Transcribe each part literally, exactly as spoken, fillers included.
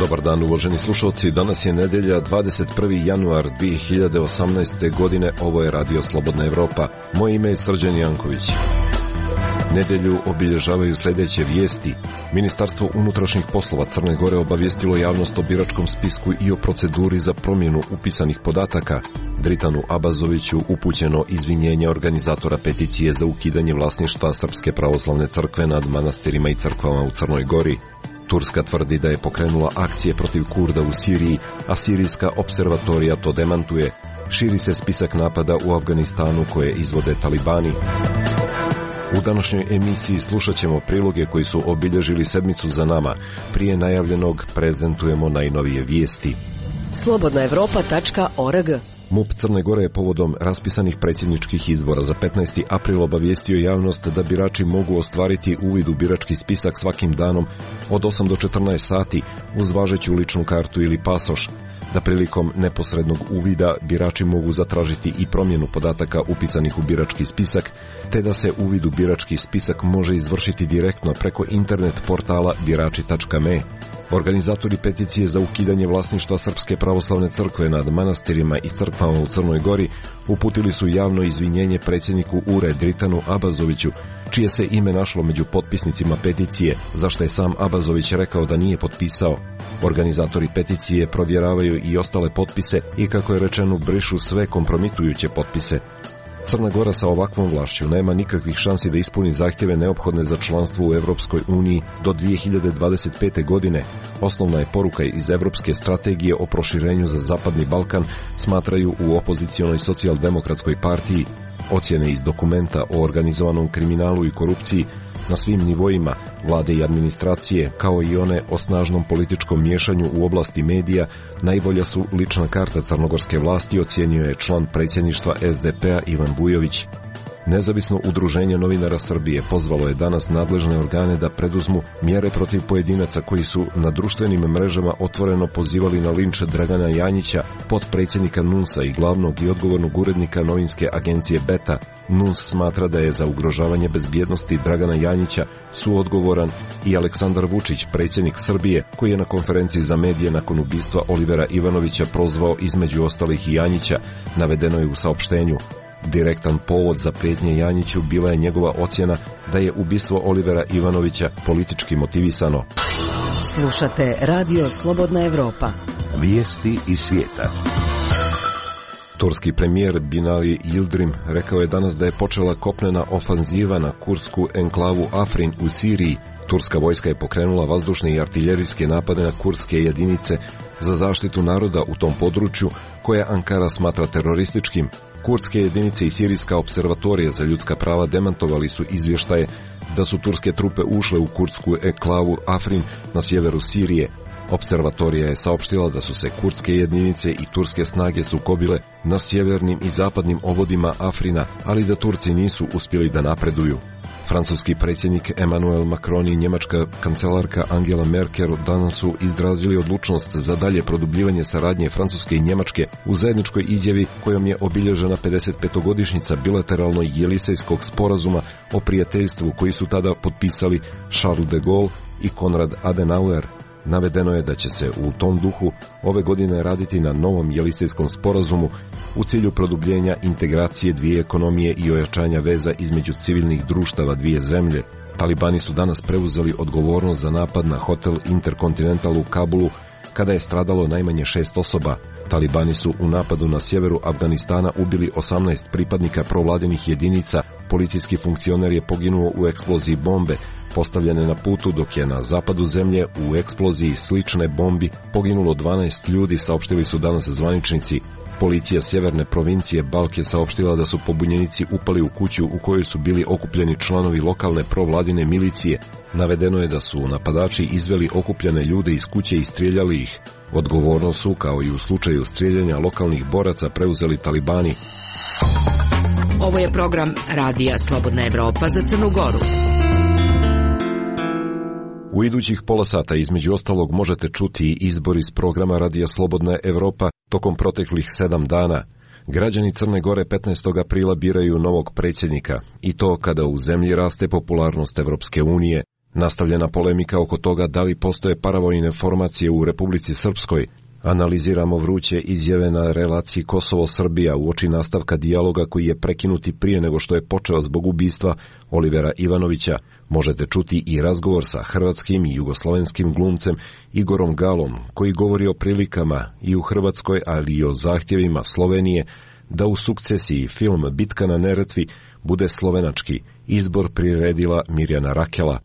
Dobar dan, uvaženi slušalci. Danas je nedelja, dvadeset prvi januar dvije hiljade osamnaeste. godine. Ovo je Radio Slobodna Evropa. Moje ime je Srđan Janković. Nedelju obilježavaju sljedeće vijesti. Ministarstvo unutrašnjih poslova Crne Gore obavijestilo javnost o biračkom spisku i o proceduri za promjenu upisanih podataka. Dritanu Abazoviću upućeno izvinjenje organizatora peticije za ukidanje vlasništva Srpske pravoslavne crkve nad manastirima i crkvama u Crnoj Gori. Turska tvrdi da je pokrenula akcije protiv Kurda u Siriji, a sirijska observatorija to demantuje. Širi se spisak napada u Afganistanu koje izvode talibani. U današnjoj emisiji slušat ćemo priloge koji su obilježili sedmicu za nama. Prije najavljenog prezentujemo najnovije vijesti. slobodna evropa tačka org MUP Crne Gore je povodom raspisanih predsjedničkih izbora za petnaesti april obavijestio javnost da birači mogu ostvariti uvid u birački spisak svakim danom od osam do četrnaest sati uz važeću ličnu kartu ili pasoš, da prilikom neposrednog uvida birači mogu zatražiti i promjenu podataka upisanih u birački spisak, te da se uvid u birački spisak može izvršiti direktno preko internet portala birači tačka me. Organizatori peticije za ukidanje vlasništva Srpske pravoslavne crkve nad manastirima i crkvama u Crnoj Gori uputili su javno izvinjenje predsjedniku U R E Dritanu Abazoviću, čije se ime našlo među potpisnicima peticije, za što je sam Abazović rekao da nije potpisao. Organizatori peticije provjeravaju i ostale potpise i, kako je rečeno, brišu sve kompromitujuće potpise. Crna Gora sa ovakvom vlašću nema nikakvih šansi da ispuni zahtjeve neophodne za članstvo u Evropskoj uniji do dvije hiljade dvadeset pete. godine. Osnovna je poruka iz Evropske strategije o proširenju za Zapadni Balkan, smatraju u opozicionoj socijaldemokratskoj partiji. Ocjene iz dokumenta o organizovanom kriminalu i korupciji na svim nivoima vlade i administracije, kao i one o snažnom političkom miješanju u oblasti medija, najbolja su lična karta crnogorske vlasti, ocjenjuje je član predsjedništva S D P-a Ivan Bujović. Nezavisno udruženje novinara Srbije pozvalo je danas nadležne organe da preduzmu mjere protiv pojedinaca koji su na društvenim mrežama otvoreno pozivali na linč Dragana Janjića, potpredsjednika N U N S-a i glavnog i odgovornog urednika novinske agencije Beta. N U N S smatra da je za ugrožavanje bezbjednosti Dragana Janjića suodgovoran i Aleksandar Vučić, predsjednik Srbije, koji je na konferenciji za medije nakon ubistva Olivera Ivanovića prozvao između ostalih i Janjića, navedeno je u saopštenju. Direktan povod za prijetnje Janjiću bila je njegova ocjena da je ubistvo Olivera Ivanovića politički motivisano. Slušate Radio Slobodna Evropa. Vijesti iz svijeta. Turski premijer Binali Yildirim rekao je danas da je počela kopnena ofanziva na kurdsku enklavu Afrin u Siriji. Turska vojska je pokrenula vazdušne i artiljerijske napade na kurdske jedinice za zaštitu naroda u tom području, koje Ankara smatra terorističkim. Kurdske jedinice i sirijska observatorija za ljudska prava demantovali su izvještaje da su turske trupe ušle u kurdsku enklavu Afrin na sjeveru Sirije. Observatorija je saopštila da su se kurdske jedinice i turske snage sukobile na sjevernim i zapadnim obodima Afrina, ali da Turci nisu uspjeli da napreduju. Francuski predsjednik Emmanuel Macron i njemačka kancelarka Angela Merkel danas su izrazili odlučnost za dalje produbljivanje saradnje Francuske i Njemačke u zajedničkoj izjavi kojom je obilježena pedesetpetogodišnjica bilateralno-jelisejskog sporazuma o prijateljstvu koji su tada potpisali Charles de Gaulle i Konrad Adenauer. Navedeno je da će se u tom duhu ove godine raditi na novom jelisejskom sporazumu u cilju produbljenja integracije dvije ekonomije i ojačanja veza između civilnih društava dvije zemlje. Talibani su danas preuzeli odgovornost za napad na hotel Intercontinental u Kabulu, kada je stradalo najmanje šest osoba. Talibani su u napadu na sjeveru Afganistana ubili osamnaest pripadnika provladinih jedinica. Policijski funkcioner je poginuo u eksploziji bombe postavljene na putu, dok je na zapadu zemlje u eksploziji slične bombi poginulo dvanaest ljudi, saopštili su danas zvaničnici. Policija sjeverne provincije Balk je saopštila da su pobunjenici upali u kuću u kojoj su bili okupljeni članovi lokalne provladine milicije. Navedeno je da su napadači izveli okupljene ljude iz kuće i strijeljali ih. Odgovornost su, kao i u slučaju strijeljanja lokalnih boraca, preuzeli talibani. Ovo je program Radija Slobodna Evropa za Crnu Goru. U idućih pola sata između ostalog možete čuti izbor iz programa Radija Slobodna Evropa tokom proteklih sedam dana. Građani Crne Gore petnaestog aprila biraju novog predsjednika, i to kada u zemlji raste popularnost Evropske unije. Nastavljena polemika oko toga da li postoje paravojne formacije u Republici Srpskoj. Analiziramo vruće izjave na relaciji Kosovo-Srbija uoči nastavka dijaloga koji je prekinuti prije nego što je počeo zbog ubistva Olivera Ivanovića. Možete čuti i razgovor sa hrvatskim i jugoslovenskim glumcem Igorom Galom, koji govori o prilikama i u Hrvatskoj, ali i o zahtjevima Slovenije da u sukcesiji film Bitka na Neretvi bude slovenački. Izbor priredila Mirjana Rakela.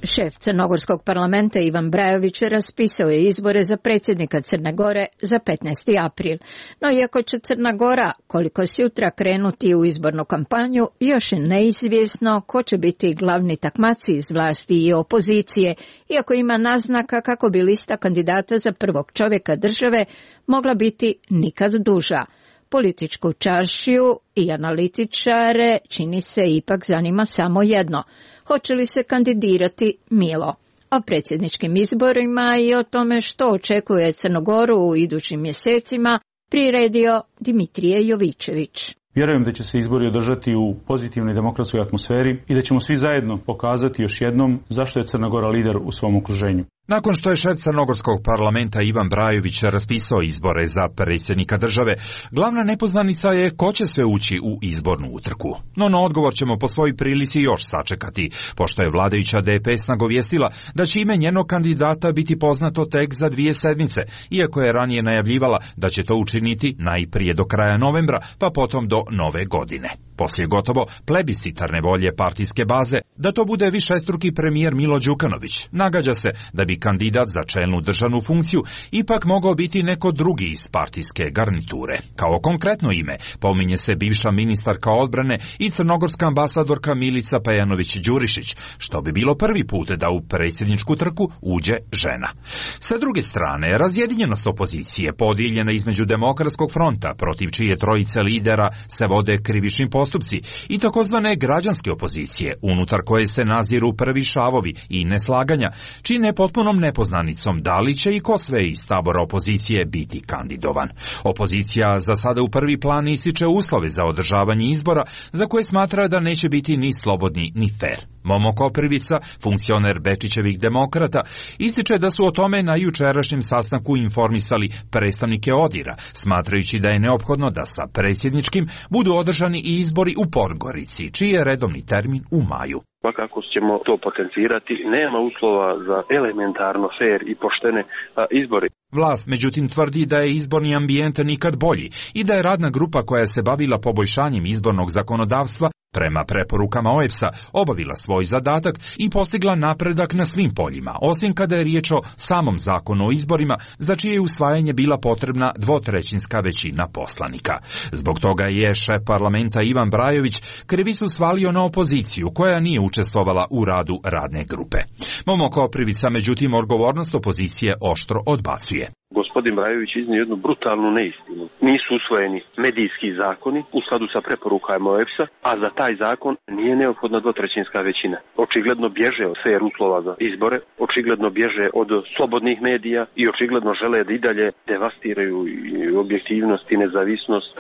Šef Crnogorskog parlamenta Ivan Brajović raspisao je izbore za predsjednika Crne Gore za petnaesti april. No iako će Crna Gora koliko sutra krenuti u izbornu kampanju, još je neizvjesno ko će biti glavni takmaci iz vlasti i opozicije, iako ima naznaka kako bi lista kandidata za prvog čovjeka države mogla biti nikad duža. Političku čaršiju i analitičare čini se ipak zanima samo jedno. Hoće li se kandidirati Milo? O predsjedničkim izborima i o tome što očekuje Crnogoru u idućim mjesecima priredio Dimitrije Jovičević. Vjerujem da će se izbori održati u pozitivnoj demokratskoj atmosferi i da ćemo svi zajedno pokazati još jednom zašto je Crna Gora lider u svom okruženju. Nakon što je šef Crnogorskog parlamenta Ivan Brajović raspisao izbore za predsjednika države, glavna nepoznanica je ko će sve ući u izbornu utrku. No na odgovor ćemo po svojoj prilici još sačekati, pošto je vladajuća D P S nagovijestila da će ime njenog kandidata biti poznato tek za dvije sedmice, iako je ranije najavljivala da će to učiniti najprije do kraja novembra, pa potom do nove godine. Poslije gotovo plebiscitarne volje partijske baze da to bude višestruki premijer Milo Đukanović, nagađa se da bi kandidat za čelnu državnu funkciju ipak mogao biti neko drugi iz partijske garniture. Kao konkretno ime pominje se bivša ministarka odbrane i crnogorska ambasadorka Milica Pejanović-Đurišić, što bi bilo prvi put da u predsjedničku trku uđe žena. Sa druge strane, razjedinjenost opozicije podijeljena između Demokratskog fronta, protiv čije trojice lidera se vode krivični postupci, i takozvane građanske opozicije, unutar koje se naziru prvi šavovi i neslaganja, čine potpunom nepoznanicom da li će i ko sve iz tabora opozicije biti kandidovan. Opozicija za sada u prvi plan ističe uslove za održavanje izbora, za koje smatra da neće biti ni slobodni ni fer. Momo Koprivica, funkcioner Bečićevih demokrata, ističe da su o tome na jučerašnjem sastanku informisali predstavnike Odira, smatrajući da je neophodno da sa predsjedničkim budu održani i izbori u Podgorici, čiji je redovni termin u maju. Svakako ćemo to potencirati, nema uslova za elementarno fer i poštene a, izbori. Vlast međutim tvrdi da je izborni ambijent nikad bolji i da je radna grupa koja se bavila poboljšanjem izbornog zakonodavstva prema preporukama O E B S-a obavila svoj zadatak i postigla napredak na svim poljima, osim kada je riječ o samom zakonu o izborima, za čije je usvajanje bila potrebna dvotrećinska većina poslanika. Zbog toga je šef parlamenta Ivan Brajović krivicu svalio na opoziciju koja nije učestvovala u radu radne grupe. Momo Koprivica međutim odgovornost opozicije oštro odbacuje. Gospodin Brajović iznio jednu brutalnu neistinu. Nisu usvojeni medijski zakoni u skladu sa preporukama O E B S-a, a za taj zakon nije neophodna dvotrećinska većina. Očigledno bježe od fer uslova za izbore, očigledno bježe od slobodnih medija i očigledno žele da i dalje devastiraju objektivnost i nezavisnost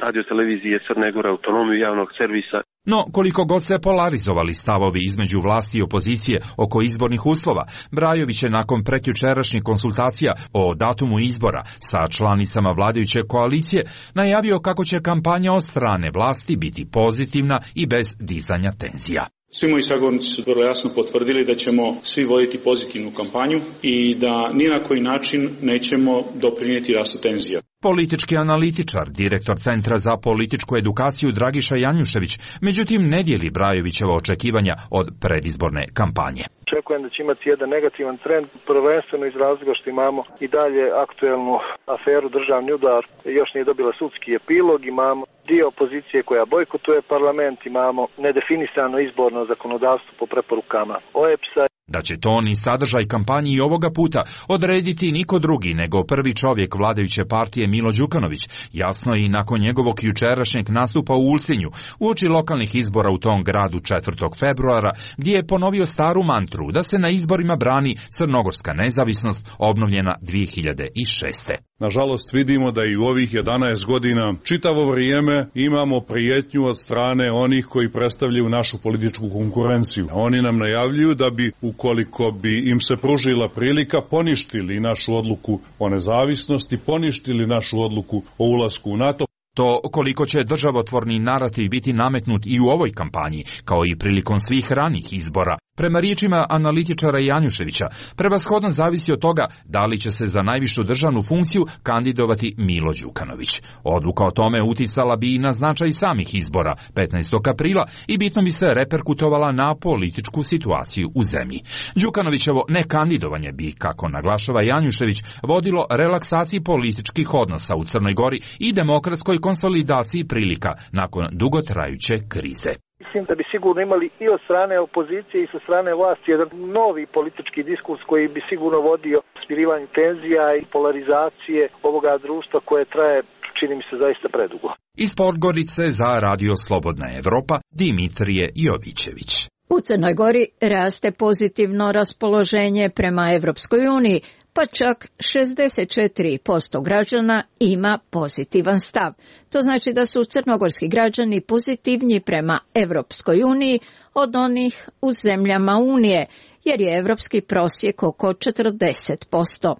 radiotelevizije Crne Gore, autonomiju javnog servisa. No, koliko god se polarizovali stavovi između vlasti i opozicije oko izbornih uslova, Brajović je nakon prekjučerašnjih konsultacija o datumu izbora sa članicama vladajuće koalicije najavio kako će kampanja od strane vlasti biti pozitivna i bez dizanja tenzija. Svi moji sagovornici su vrlo jasno potvrdili da ćemo svi voditi pozitivnu kampanju i da ni na koji način nećemo doprinijeti rastu tenzija. Politički analitičar, direktor Centra za političku edukaciju Dragiša Janjušević, međutim ne dijeli Brajovićeva očekivanja od predizborne kampanje. Očekujem da će imati jedan negativan trend, prvenstveno iz razloga što imamo i dalje aktuelnu aferu državni udar, još nije dobila sudski epilog, imamo dio opozicije koja bojkotuje parlament, imamo nedefinisano izborno zakonodavstvo po preporukama O E B S-a. Da će ton i sadržaj kampanji i ovoga puta odrediti niko drugi nego prvi čovjek vladajuće partije Milo Đukanović, jasno i nakon njegovog jučerašnjeg nastupa u Ulcinju, uoči lokalnih izbora u tom gradu četvrtog februara, gdje je ponovio staru mantru da se na izborima brani crnogorska nezavisnost obnovljena dvije hiljade šeste. Nažalost vidimo da i u ovih jedanaest godina čitavo vrijeme imamo prijetnju od strane onih koji predstavljaju našu političku konkurenciju. Oni nam najavljuju da bi, ukoliko bi im se pružila prilika, poništili našu odluku o nezavisnosti, poništili našu odluku o ulasku u NATO. To koliko će državotvorni narativ biti nametnut i u ovoj kampanji, kao i prilikom svih ranih izbora, prema riječima analitičara Janjuševića, prevashodno zavisi od toga da li će se za najvišu državnu funkciju kandidovati Milo Đukanović. Odluka o tome uticala bi i na značaj samih izbora petnaestog aprila i bitno bi se reperkutovala na političku situaciju u zemlji. Đukanovićevo nekandidovanje bi, kako naglašava Janjušević, vodilo relaksaciji političkih odnosa u Crnoj Gori i demokratskoj konsolidaciji prilika nakon dugotrajuće krize. Mislim da bi sigurno imali i od strane opozicije i sa strane vlasti jedan novi politički diskurs koji bi sigurno vodio smirivanju tenzija i polarizacije ovoga društva koje traje, čini mi se, zaista predugo. Iz Podgorice za Radio Slobodna Evropa, Dimitrije Jovićević. U Crnoj Gori raste pozitivno raspoloženje prema Evropskoj uniji, pa čak šezdeset četiri posto građana ima pozitivan stav. To znači da su crnogorski građani pozitivniji prema Evropskoj uniji od onih u zemljama Unije, jer je evropski prosjek oko četrdeset posto.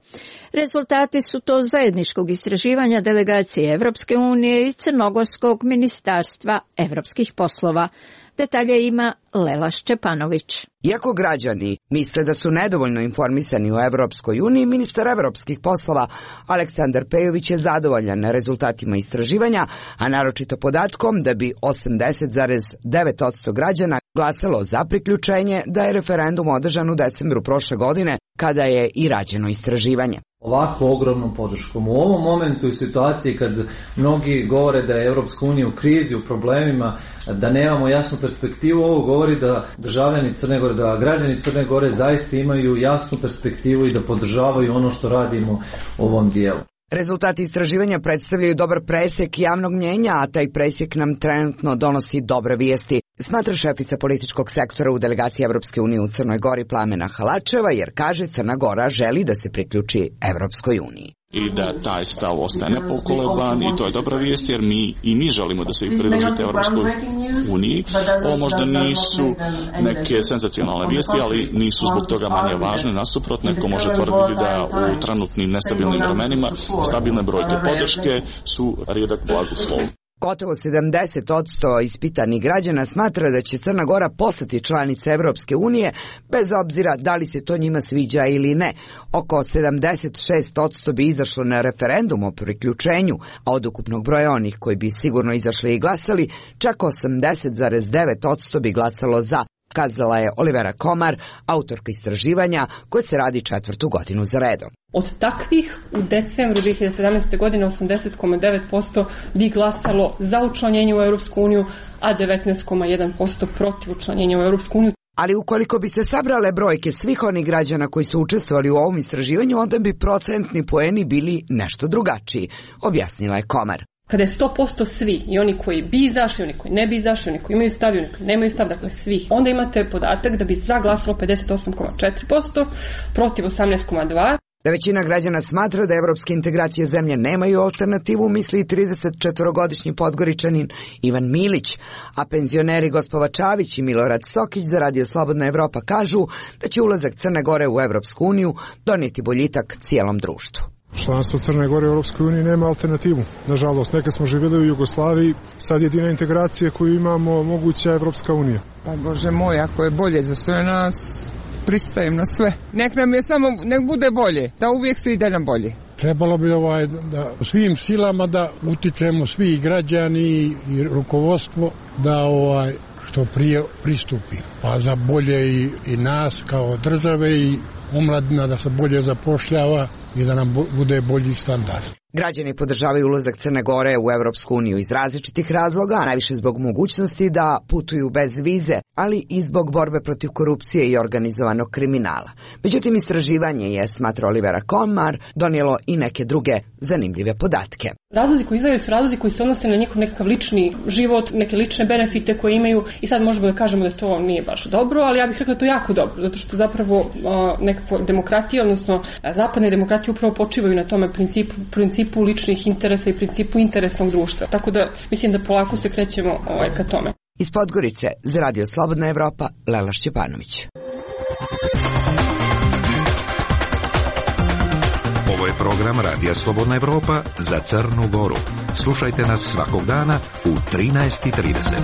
Rezultati su to zajedničkog istraživanja delegacije Evropske unije i Crnogorskog ministarstva evropskih poslova. Detalje ima Lela Šćepanović. Iako građani misle da su nedovoljno informisani o Evropskoj uniji, ministar evropskih poslova Aleksandar Pejović je zadovoljan rezultatima istraživanja, a naročito podatkom da bi osamdeset zarez devet posto građana glasalo za priključenje, da je referendum održan u decembru prošle godine, kada je i rađeno istraživanje. Ovako ogromnom podrškom. U ovom momentu i situaciji kad mnogi govore da je Evropska unija u krizi, u problemima, da nemamo jasnu perspektivu, ovo govori da državljani Crne Gore, da građani Crne Gore zaista imaju jasnu perspektivu i da podržavaju ono što radimo u ovom dijelu. Rezultati istraživanja predstavljaju dobar presjek javnog mnjenja, a taj presjek nam trenutno donosi dobre vijesti, smatra šefica političkog sektora u delegaciji Evropske unije u Crnoj Gori Plamena Halačeva, jer kaže Crna Gora želi da se priključi Evropskoj uniji. I da taj stav ostaje nepokoleban i to je dobra vijest jer mi i mi želimo da se vi pridružite Evropskoj uniji. Ovo možda nisu neke senzacionalne vijesti, ali nisu zbog toga manje važne. Nasuprot, neko može tvrditi da u trenutnim nestabilnim vremenima stabilne brojke podrške su rijedak blagoslov. Gotovo sedamdeset posto ispitanih građana smatra da će Crna Gora postati članica Evropske unije, bez obzira da li se to njima sviđa ili ne. Oko sedamdeset šest posto bi izašlo na referendum o priključenju, a od ukupnog broja onih koji bi sigurno izašli i glasali, čak osamdeset zarez devet posto bi glasalo za, kazala je Olivera Komar, autorka istraživanja koje se radi četvrtu godinu za redom. Od takvih u decembru dvije hiljade sedamnaeste. godine osamdeset zarez devet posto bi glasalo za učlanjenje u Europsku uniju, a devetnaest zarez jedan posto protiv učlanjenja u Europsku uniju. Ali ukoliko bi se sabrale brojke svih onih građana koji su učestvovali u ovom istraživanju, onda bi procentni poeni bili nešto drugačiji, objasnila je Komar. Kada je sto posto svi, i oni koji bi izašli, oni koji ne bi izašli, oni koji imaju stav i oni koji nemaju stav, dakle svih, onda imate podatak da bi za glasalo pedeset osam zarez četiri posto, protiv osamnaest zarez dva posto. Da većina građana smatra da evropske integracije zemlje nemaju alternativu, misli i tridesetčetvorogodišnji Podgoričanin Ivan Milić, a penzioneri Gospova Čavić i Milorad Sokić za Radio Slobodna Evropa kažu da će ulazak Crne Gore u Evropsku uniju donijeti boljitak cijelom društvu. Članstvo Crne Gore u Europskoj uniji nema alternativu. Nažalost, neke smo živjeli u Jugoslaviji, sad jedina integracija koju imamo moguća je Evropska unija. Pa Bože moj, ako je bolje za sve nas, pristajem na sve. Nek nam je samo, nek bude bolje, da uvijek se ide nam bolje. Trebalo bi ovaj, da svim silama da utičemo svi građani i rukovodstvo da ovaj što prije pristupi. Pa za bolje i, i nas kao države i omladina da se bolje zapošljava i da nam bude bolji standard. Građani podržavaju ulazak Crne Gore u Evropsku uniju iz različitih razloga, a najviše zbog mogućnosti da putuju bez vize, ali i zbog borbe protiv korupcije i organizovanog kriminala. Međutim, istraživanje je, smatra Olivera Komar, donijelo i neke druge zanimljive podatke. Razlozi koji izdvajaju su razlozi koji se odnose na njihov nekakav lični život, neke lične benefite koje imaju i sad možemo da kažemo da to nije baš dobro, ali ja bih rekla da to jako dobro, zato što zapravo nekakva demokratija, odnosno zapadne demokratije upravo počivaju na tome principu, principu ličnih interesa i principu interesnog društva. Tako da mislim da polako se krećemo ovaj, ka tome. Iz Podgorice za Radio Slobodna Evropa, Lela Šćepanović. Ovo je program Radija Slobodna Evropa za Crnu Goru. Slušajte nas svakog dana u trinaest i trideset.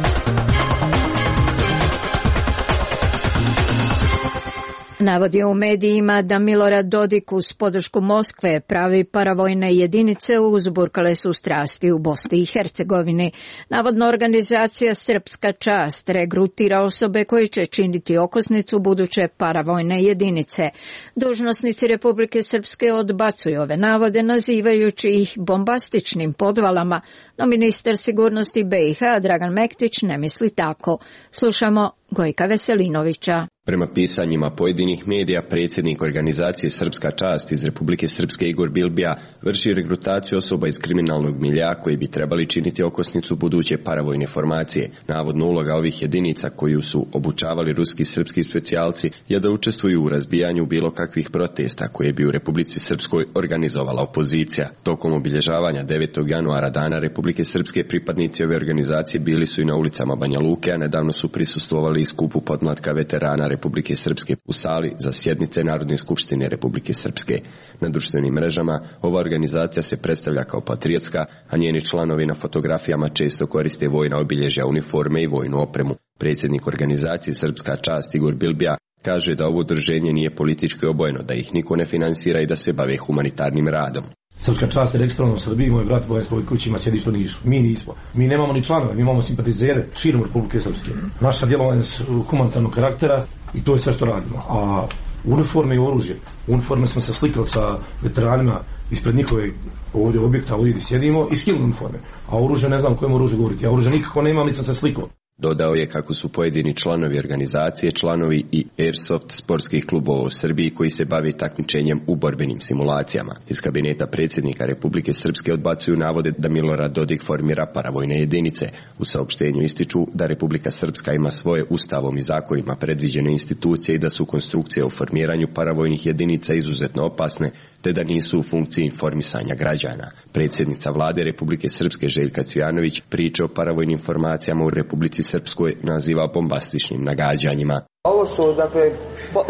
Navodi u medijima da Milorad Dodik uz podršku Moskve pravi paravojne jedinice uzburkale su strasti u Bosni i Hercegovini. Navodno organizacija Srpska čast regrutira osobe koje će činiti okosnicu buduće paravojne jedinice. Dužnosnici Republike Srpske odbacuju ove navode nazivajući ih bombastičnim podvalama, no ministar sigurnosti B i H Dragan Mektić ne misli tako. Slušamo Gojka Veselinovića. Prema pisanjima pojedinih medija, predsjednik organizacije Srpska čast iz Republike Srpske Igor Bilbija vrši regrutaciju osoba iz kriminalnog milja koji bi trebali činiti okosnicu buduće paravojne formacije. Navodno uloga ovih jedinica koju su obučavali ruski i srpski specijalci je da učestvuju u razbijanju bilo kakvih protesta koje bi u Republici Srpskoj organizovala opozicija. Tokom obilježavanja devetog januara Dana Republike Srpske pripadnici ove organizacije bili su i na ulicama Banja Luke, a nedavno su prisustvovali i skupu podmlatka veterana Republike Srpske u sali za sjednice Narodne skupštine Republike Srpske. Na društvenim mrežama ova organizacija se predstavlja kao patriotska, a njeni članovi na fotografijama često koriste vojna obilježja, uniforme i vojnu opremu. Predsjednik organizacije Srpska čast Igor Bilbija kaže da ovo udruženje nije politički obojeno, da ih niko ne finansira i da se bave humanitarnim radom. Srpska čast je registrovana u Srbiji, moj brat u svojoj kući ima sjedište u Nišu. Mi nismo. Mi nemamo ni članove, mi imamo simpatizere širom Republike Srpske. Naša djelovanja su humanitarnog karaktera i to je sve što radimo. A uniforme i oružje. Uniforme smo se slikali sa veteranima ispred njihove ovdje objekta, ovdje gdje sjedimo, i skinuli uniforme. A oružje, ne znam o kojem oružju govoriti. Ja oružje nikako ne imam, nisam se slikao. Dodao je kako su pojedini članovi organizacije članovi i Airsoft sportskih klubova u Srbiji koji se bave takmičenjem u borbenim simulacijama. Iz kabineta predsjednika Republike Srpske odbacuju navode da Milorad Dodik formira paravojne jedinice. U saopštenju ističu da Republika Srpska ima svoje ustavom i zakonima predviđene institucije i da su konstrukcije o formiranju paravojnih jedinica izuzetno opasne, te da nisu u funkciji informisanja građana. Predsjednica vlade Republike Srpske Željka Cvijanović priče o paravojnim formacijama u Republici Srpskoj naziva bombastičnim nagađanjima. Ovo su, dakle,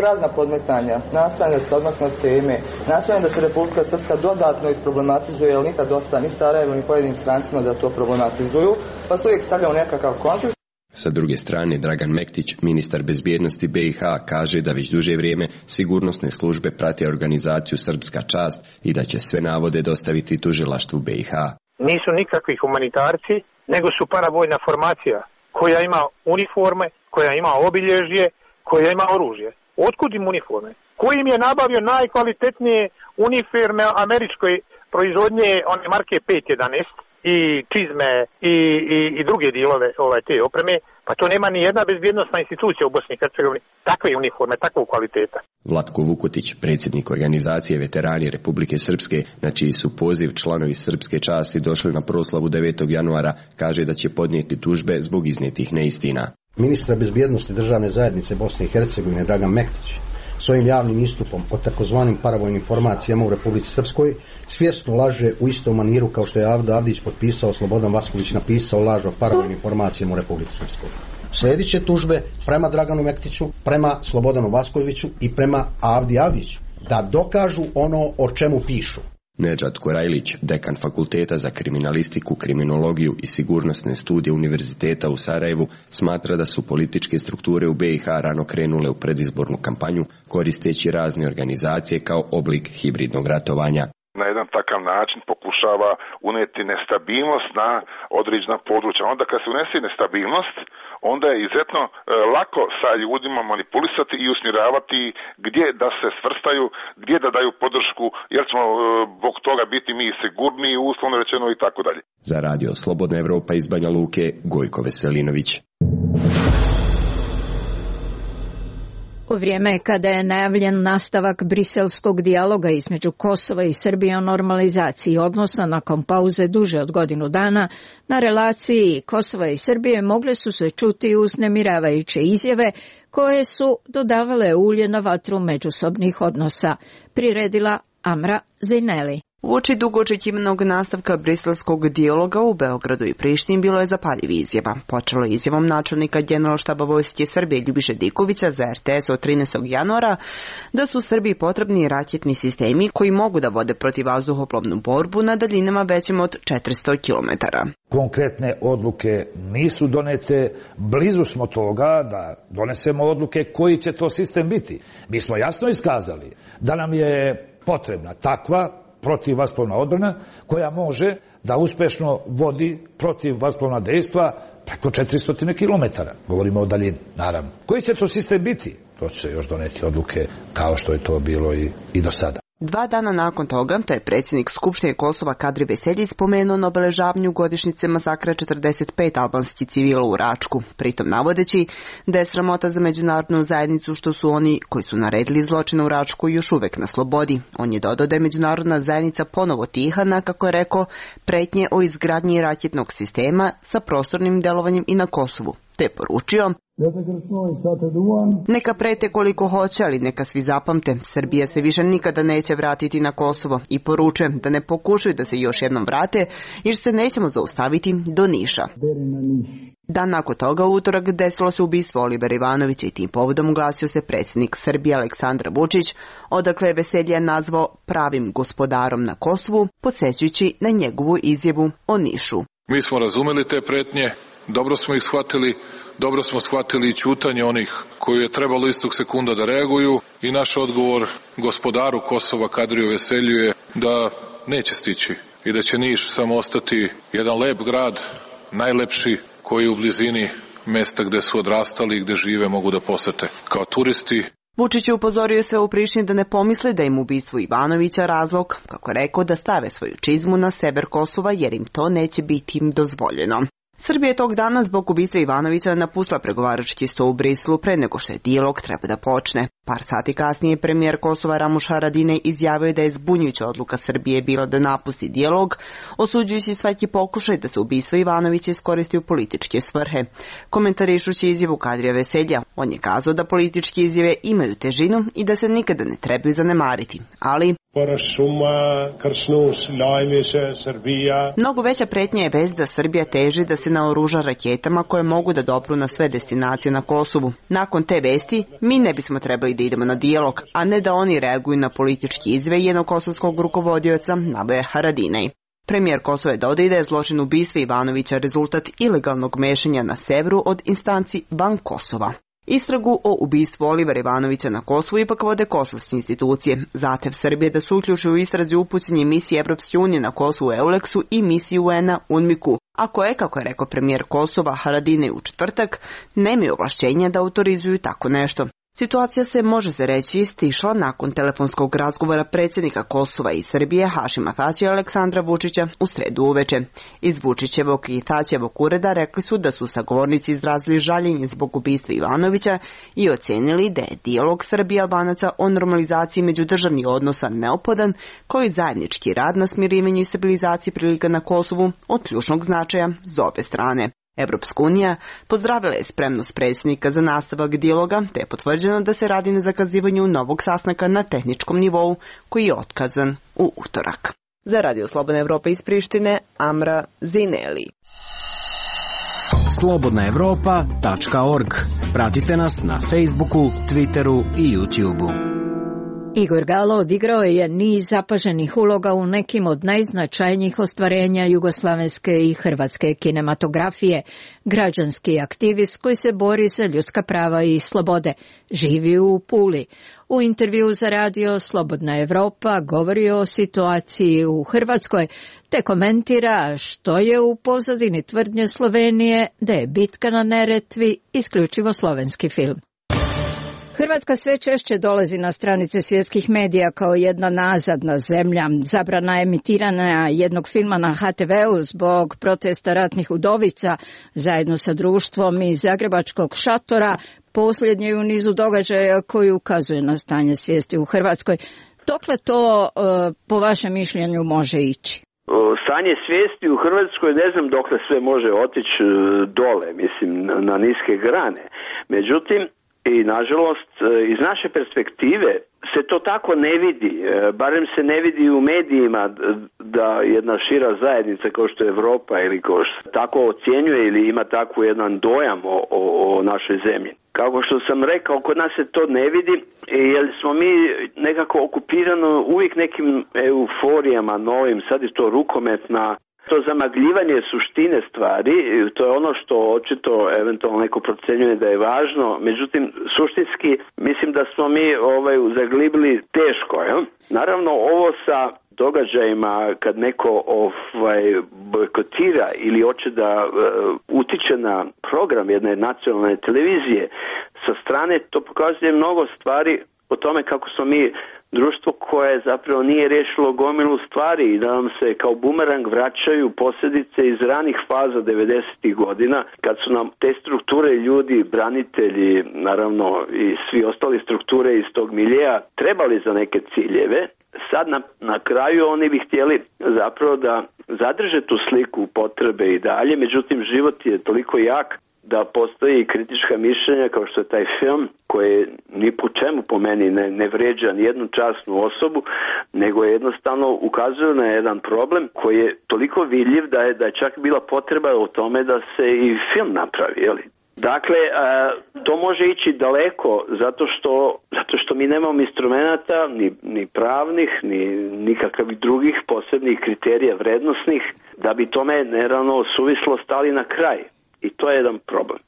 razna podmetanja, nastojanje da se odmakne od teme, nastojanje da se Republika Srpska dodatno isproblematizuje, jer nikad dosta ni Sarajevo ni pojedinim strancima da to problematizuju, pa se uvijek stavljamo nekakav kontekst. Sa druge strane, Dragan Mektić, ministar bezbjednosti B i H, kaže da već duže vrijeme sigurnosne službe prate organizaciju Srpska čast i da će sve navode dostaviti tužilaštvu B i H. Nisu nikakvi humanitarci, nego su paravojna formacija koja ima uniforme, koja ima obilježje, koja ima oružje. Otkud im uniforme? Ko im je nabavio najkvalitetnije uniforme američkoj proizvodnje, one marke pet jedanaest i čizme i, i, i druge dijelove ovaj, te opreme? Pa to nema ni jedna bezbjednostna institucija u Bosni i Hercegovini takve uniforme, takvog kvaliteta. Vlatko Vukotić, predsjednik organizacije Veterani Republike Srpske, na čiji su poziv članovi Srpske časti došli na proslavu devetog januara, kaže da će podnijeti tužbe zbog iznijetih neistina. Ministra bezbjednosti državne zajednice Bosne i Hercegovine Dragan Mektić svojim javnim istupom o takozvanim paravojnim formacijama u Republici Srpskoj svjesno laže u istom maniru kao što je Avdo Avdić potpisao, Slobodan Vasković napisao laž o paravojnim formacijama u Republici Srpskoj. Slijedit će tužbe prema Draganu Mektiću, prema Slobodanu Vaskoviću i prema Avdi Avdiću da dokažu ono o čemu pišu. Nedžad Korajlić, dekan Fakulteta za kriminalistiku, kriminologiju i sigurnosne studije Univerziteta u Sarajevu, smatra da su političke strukture u B i H rano krenule u predizbornu kampanju koristeći razne organizacije kao oblik hibridnog ratovanja. Na jedan takav način pokušava uneti nestabilnost na određena područja. Onda kad se unese nestabilnost, onda je izuzetno e, lako sa ljudima manipulisati i usmjeravati gdje da se svrstaju, gdje da daju podršku, jer ćemo e, zbog toga biti mi sigurniji, uslovno rečeno i tako dalje. Za Radio Slobodna Evropa iz Banja Luke, Gojko Veselinović. U vrijeme kada je najavljen nastavak briselskog dijaloga između Kosova i Srbije o normalizaciji odnosa nakon pauze duže od godinu dana, na relaciji Kosova i Srbije mogle su se čuti uznemiravajuće izjave koje su dodavale ulje na vatru međusobnih odnosa, priredila Amra Zineli. Uoči dugo očekivanog nastavka briselskog dijaloga u Beogradu i Prištini bilo je zapaljiv izjava. Počelo je izjavom načelnika Generalštaba Vojske Srbije Ljubiše Dikovića za er te es od trinaestog januara da su Srbiji potrebni raketni sistemi koji mogu da vode protivvazduhoplovnu borbu na daljinama većim od četiristo kilometara. Konkretne odluke nisu donete, blizu smo toga da donesemo odluke koji će to sistem biti. Mi smo jasno iskazali da nam je potrebna takva protivvazduhoplovna odbrana koja može da uspešno vodi protivvazduhoplovna dejstva preko četiristo kilometara. Govorimo o daljini, naravno. Koji će to sistem biti? To će se još doneti odluke kao što je to bilo i, i do sada. Dva dana nakon toga, to je predsjednik Skupštine Kosova Kadri Veselji spomenuo na obeležavanju godišnjice masakra četrdeset pet albanskih civila u Račku, pritom navodeći da je sramota za međunarodnu zajednicu što su oni koji su naredili zločine u Račku još uvek na slobodi. On je dodao da je međunarodna zajednica ponovo tiha na, kako je rekao, pretnje o izgradnji raketnog sistema sa prostornim delovanjem i na Kosovu, te poručio: neka prete koliko hoće, ali neka svi zapamte, Srbija se više nikada neće vratiti na Kosovo, i poručujem da ne pokušaju da se još jednom vrate, jer se nećemo zaustaviti do Niša. Dan nakon toga, u utorak, desilo se ubistvo Olivera Ivanovića i tim povodom oglasio se predsjednik Srbije Aleksandar Vučić, odakle je Veselje nazvao pravim gospodarom na Kosovu, podsjećajući na njegovu izjavu o Nišu. Mi smo razumeli te pretnje, dobro smo ih shvatili, dobro smo shvatili i ćutanje onih koji je trebalo istog sekunda da reaguju, i naš odgovor gospodaru Kosova Kadriju Veselju je da neće stići i da će Niš samo ostati jedan lep grad, najlepši, koji u blizini mesta gde su odrastali i gde žive mogu da posete kao turisti. Vučić je upozorio sve u Prištini da ne pomisle da im ubistvo Ivanovića razlog, kako je rekao, da stave svoju čizmu na sever Kosova jer im to neće biti im dozvoljeno. Srbija je tog dana zbog ubistva Ivanovića napustila pregovarački sto u Briselu pre nego što je dijalog treba da počne. Par sati kasnije premijer Kosova Ramuš Haradinaj izjavio da je zbunjujuća odluka Srbije bila da napusti dijalog, osuđujući svaki pokušaj da se ubistvo Ivanovića iskoristi u političke svrhe. Komentarišući izjavu Kadrija Veselja, on je kazao da političke izjave imaju težinu i da se nikada ne trebaju zanemariti, ali mnogo veća pretnja je vest da Srbija teži da se naoruža raketama koje mogu da dopru na sve destinacije na Kosovu. Nakon te vesti, mi ne bismo trebali da idemo na dijalog, a ne da oni reaguju na politički izjave jednog kosovskog rukovodioca, naveo je Haradinaj. Premijer Kosova je dodao da je zločin ubistva Ivanovića rezultat ilegalnog mešanja na severu od instanci van Kosova. Istragu o ubistvu Olivera Ivanovića na Kosovu ipak vode kosovske institucije. Zahtev Srbije da se uključi u istrazi upućenje misije Evropske unije na Kosovu Euleksu i misiji U N-a UNMIK-u, a koje, kako je rekao premijer Kosova Haradinaj u četvrtak, nemaju ovlašćenja da autorizuju tako nešto. Situacija se, može se reći, stišla nakon telefonskog razgovora predsjednika Kosova i Srbije Hašima Tačija i Aleksandra Vučića u sredu uveče. Iz Vučićevog i Tačijevog ureda rekli su da su sagovornici izrazili žaljenje zbog ubistva Ivanovića i ocenili da je dijalog Srbije i Albanaca o normalizaciji međudržavnih odnosa neophodan, kao i zajednički rad na smirivanju i stabilizaciji prilika na Kosovu od ključnog značaja za obe strane. Evropska unija pozdravila je spremnost predsjednika za nastavak dijaloga, te je potvrđeno da se radi na zakazivanju novog sastanka na tehničkom nivou koji je otkazan u utorak. Za Radio Slobodna Evropa iz Prištine, Amra Zineli. slobodna evropa tačka org. Pratite nas na Facebooku, Twitteru i YouTubeu. Igor Galo odigrao je niz zapaženih uloga u nekim od najznačajnijih ostvarenja jugoslavenske i hrvatske kinematografije. Građanski aktivist koji se bori za ljudska prava i slobode. Živi u Puli. U intervju za radio Slobodna Evropa govori o situaciji u Hrvatskoj, te komentira što je u pozadini tvrdnje Slovenije da je bitka na Neretvi isključivo slovenski film. Hrvatska sve češće dolazi na stranice svjetskih medija kao jedna nazadna zemlja. Zabrana emitiranja jednog filma na ha te veu zbog protesta ratnih udovica zajedno sa društvom iz zagrebačkog šatora posljednje u nizu događaja koji ukazuje na stanje svijesti u Hrvatskoj. Dokle to po vašem mišljenju može ići? Stanje svijesti u Hrvatskoj ne znam dokle sve može otići dole, mislim na niske grane. Međutim, i nažalost, iz naše perspektive se to tako ne vidi, barem se ne vidi u medijima da jedna šira zajednica kao što je Europa ili kao što tako ocjenjuje ili ima tako jedan dojam o, o, o našoj zemlji. Kako što sam rekao, kod nas se to ne vidi jer smo mi nekako okupirano uvijek nekim euforijama novim, sad je to rukometna. To zamagljivanje suštine stvari, to je ono što očito eventualno neko procjenjuje da je važno, međutim suštinski mislim da smo mi ovaj, zaglibili teško. Jel? Naravno ovo sa događajima kad neko ovaj, bojkotira ili hoće da uh, utiče na program jedne nacionalne televizije, sa strane to pokazuje mnogo stvari o tome kako smo mi društvo koje zapravo nije riješilo gomilu stvari i da nam se kao bumerang vraćaju posljedice iz ranih faza devedesetih godina kad su nam te strukture ljudi, branitelji, naravno i svi ostali strukture iz tog miljeja trebali za neke ciljeve. Sad na, na kraju oni bi htjeli zapravo da zadrže tu sliku potrebe i dalje, međutim život je toliko jak da postoji kritička mišljenja kao što je taj film koji ni po čemu po meni ne, ne vređa ni jednu časnu osobu, nego jednostavno ukazuju na jedan problem koji je toliko vidljiv da je, da je čak bila potreba o tome da se i film napravi, jeli? Dakle, to može ići daleko zato što, zato što mi nemamo instrumenata, ni, ni pravnih, ni nikakvih drugih posebnih kriterija vrednosnih, da bi tome naravno suvislo stali na kraj. I to je jedan problem.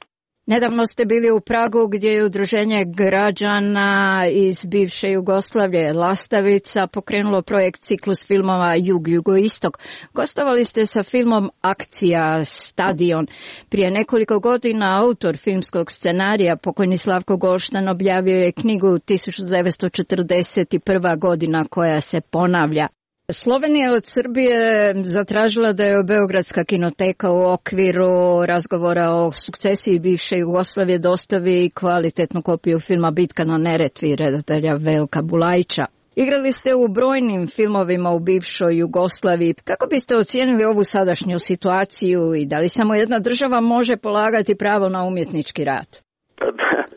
Nedavno ste bili u Pragu gdje je udruženje građana iz bivše Jugoslavije Lastavica pokrenulo projekt ciklus filmova Jug-Jugoistok. Gostovali ste sa filmom Akcija Stadion. Prije nekoliko godina autor filmskog scenarija, pokojni Slavko Golštan, objavio je knjigu tisuću devetsto četrdeset prva godina koja se ponavlja. Slovenija je od Srbije zatražila da je Beogradska kinoteka u okviru razgovora o sukcesiji bivše Jugoslavije dostavi kvalitetnu kopiju filma Bitka na Neretvi redatelja Veljka Bulajića. Igrali ste u brojnim filmovima u bivšoj Jugoslaviji. Kako biste ocijenili ovu sadašnju situaciju i da li samo jedna država može polagati pravo na umjetnički rad?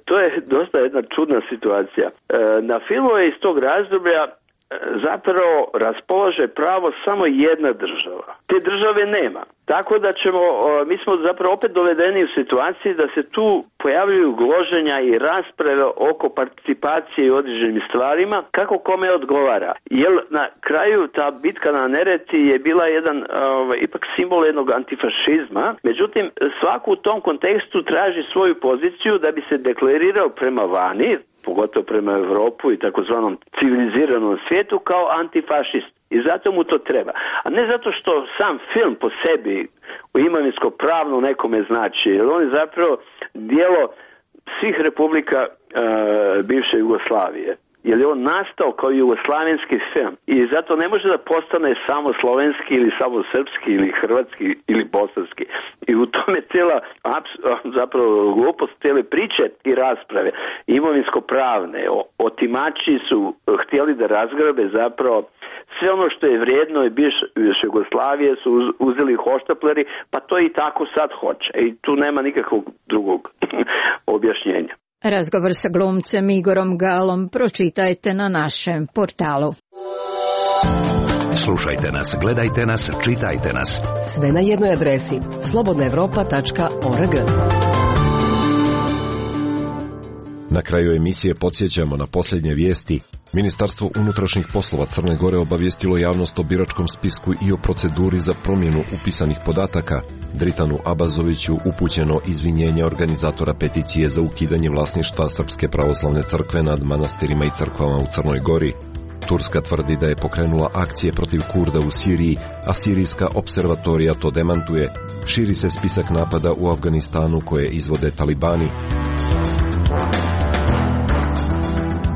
To je dosta jedna čudna situacija. Na filmove iz tog razdoblja zapravo raspolaže pravo samo jedna država. Te države nema. Tako da ćemo, mi smo zapravo opet dovedeni u situaciji da se tu pojavljuju gloženja i rasprave oko participacije i određenim stvarima, kako kome odgovara. Jer na kraju ta bitka na Neretvi je bila jedan ovaj, ipak simbol jednog antifašizma. Međutim, svako u tom kontekstu traži svoju poziciju da bi se deklarirao prema vani, pogotovo prema Europu i takozvanom civiliziranom svijetu kao antifašist. I zato mu to treba. A ne zato što sam film po sebi u imovinsko pravno nekome znači. Jer on je zapravo dijelo svih republika e, bivše Jugoslavije. Jer je on nastao kao jugoslavenski film. I zato ne može da postane samo slovenski ili samo srpski ili hrvatski ili bosanski. I u tome cijela zapravo glupost cijele priče i rasprave imovinsko-pravne. Otimači su htjeli da razgrabe zapravo sve ono što je vrijedno i bivše Jugoslavije su uzeli hoštapleri, pa to i tako sad hoće. I tu nema nikakvog drugog objašnjenja. Razgovor sa glumcem Igorom Galom pročitajte na našem portalu. Slušajte nas, gledajte nas, čitajte nas. Sve na jednoj adresi slobodna evropa tačka org. Na kraju emisije podsjećamo na posljednje vijesti. Ministarstvo unutrašnjih poslova Crne Gore obavijestilo javnost o biračkom spisku i o proceduri za promjenu upisanih podataka. Dritanu Abazoviću upućeno izvinjenje organizatora peticije za ukidanje vlasništva Srpske pravoslavne crkve nad manastirima i crkvama u Crnoj Gori. Turska tvrdi da je pokrenula akcije protiv Kurda u Siriji, a sirijska observatorija to demantuje. Širi se spisak napada u Afganistanu koje izvode talibani.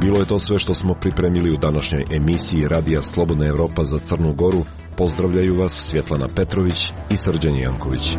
Bilo je to sve što smo pripremili u današnjoj emisiji Radija Slobodna Evropa za Crnu Goru. Pozdravljaju vas Svjetlana Petrović i Srđan Janković.